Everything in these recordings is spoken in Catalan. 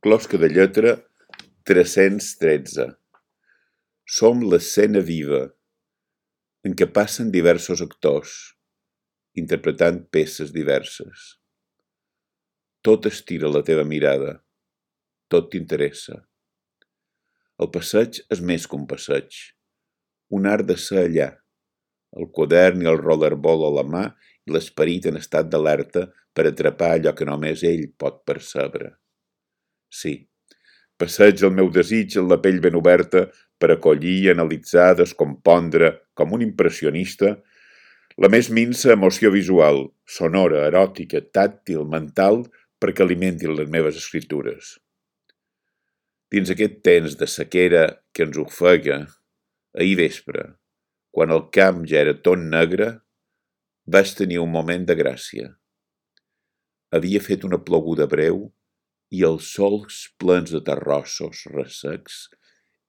Closca de lletra 313. Som l'escena viva, en què passen diversos actors, interpretant peces diverses. Tot estira la teva mirada, tot t'interessa. El passeig és més que un passeig, un art de ser allà, el quadern i el rollerball a la mà i l'esperit en estat d'alerta per atrapar allò que només ell pot percebre. Sí, passeig el meu desig amb la pell ben oberta per acollir, analitzar, descompondre, com un impressionista, la més minsa emoció visual, sonora, eròtica, tàctil, mental, perquè alimenti les meves escritures. Dins aquest temps de sequera que ens ofega, ahir vespre, quan el camp ja era tot negre, vaig tenir un moment de gràcia. Havia fet una ploguda breu i els sols plens de terrossos ressecs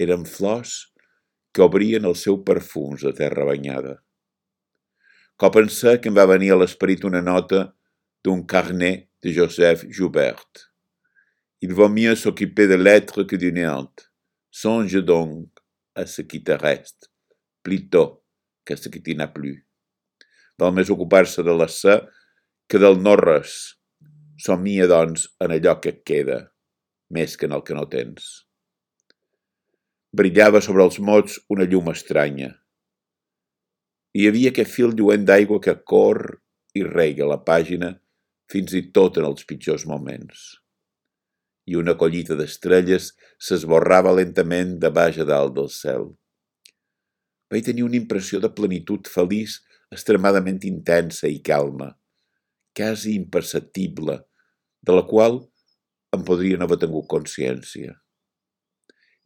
eren flors que obrien el seu perfums de terra banyada. Cop en sec em va venir a l'esperit una nota d'un carnet de Joseph Joubert. Il vaut mieux s'occuper de l'être que du néant. Songe donc à ce qui te reste, plutôt qu'à ce qui t'y n'a plus. Val més ocupar-se de l'ésser que del no-res. Somnia, doncs, en allò que et queda, més que en el que no tens. Brillava sobre els mots una llum estranya. Hi havia aquest fil lluent d'aigua que corre i rega la pàgina fins i tot en els pitjors moments. I una collita d'estrelles s'esborrava lentament de baix a dalt del cel. Vaig tenir una impressió de plenitud feliç extremadament intensa i calma, quasi imperceptible, de la qual em podria no haver tingut consciència.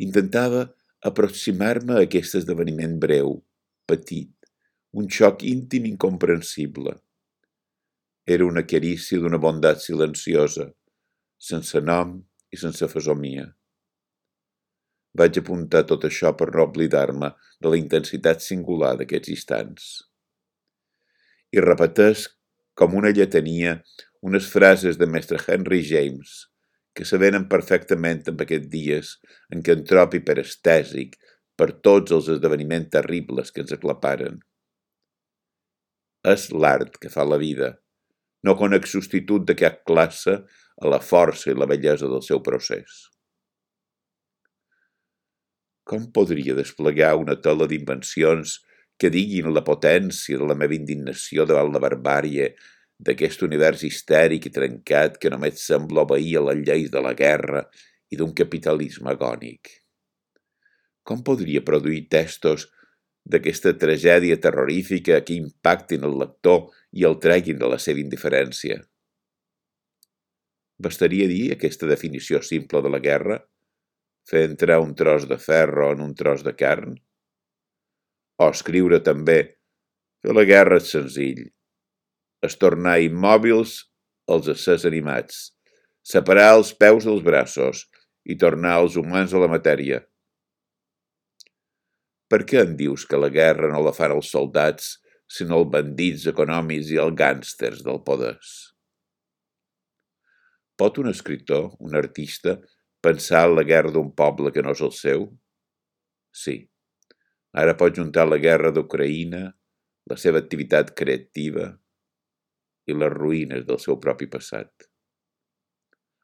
Intentava aproximar-me a aquest esdeveniment breu, petit, un xoc íntim incomprensible. Era una carícia d'una bondat silenciosa, sense nom i sense fesomia. Vaig apuntar tot això per no oblidar-me de la intensitat singular d'aquests instants. I repeteix com una lletania unes frases de mestre Henry James que s'avenen perfectament en aquests dies en què entropi per estèsic per tots els esdeveniments terribles que ens aclaparen. És l'art que fa la vida, no conec substitut de cap classe a la força i la bellesa del seu procés. Com podria desplegar una tela d'invencions que diguin la potència de la meva indignació davant la barbàrie d'aquest univers histèric i trencat que només sembla obeir a les lleis de la guerra i d'un capitalisme agònic? Com podria produir textos d'aquesta tragèdia terrorífica que impactin el lector i el treguin de la seva indiferència? Bastaria dir aquesta definició simple de la guerra? Fer entrar un tros de ferro en un tros de carn? O escriure també que la guerra és senzill, és tornar immòbils els éssers animats, separar els peus dels braços i tornar els humans a la matèria. Per què em dius que la guerra no la fan els soldats, sinó els bandits econòmics i els gàngsters del poder? Pot un escriptor, un artista, pensar en la guerra d'un poble que no és el seu? Sí. Ara pot juntar la guerra d'Ucraïna, la seva activitat creativa i les ruïnes del seu propi passat.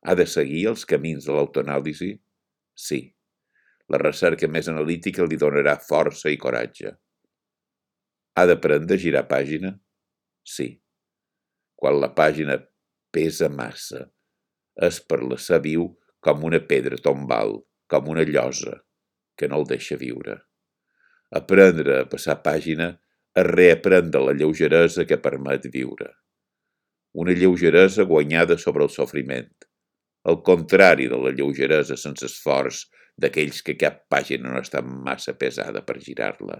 Ha de seguir els camins de l'autoanàlisi? Sí. La recerca més analítica li donarà força i coratge. Ha d'aprendre a girar pàgina? Sí. Quan la pàgina pesa massa, és per la ser viu com una pedra tombal, com una llosa, que no el deixa viure. Aprendre a passar pàgina és reaprendre la lleugeresa que permet viure. Una lleugeresa guanyada sobre el sofriment, el contrari de la lleugeresa sense esforç d'aquells que cap pàgina no està massa pesada per girar-la.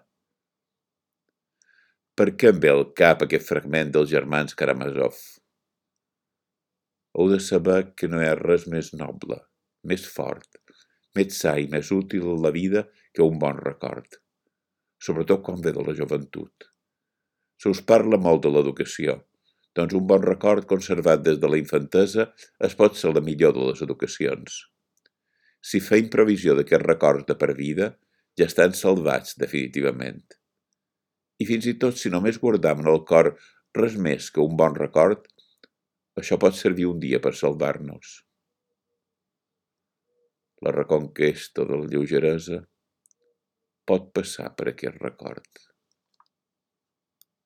Per què em ve al cap aquest fragment dels germans Karamazov? Heu de saber que no hi ha res més noble, més fort, més sa i més útil a la vida que un bon record, sobretot quan ve de la joventut. Se us parla molt de l'educació, doncs un bon record conservat des de la infantesa es pot ser la millor de les educacions. si feim provisió d'aquests records de per vida, ja estan salvats definitivament. I fins i tot si només guardam en el cor res més que un bon record, això pot servir un dia per salvar-nos. La reconquesta de la lleugeresa pot passar per aquest record.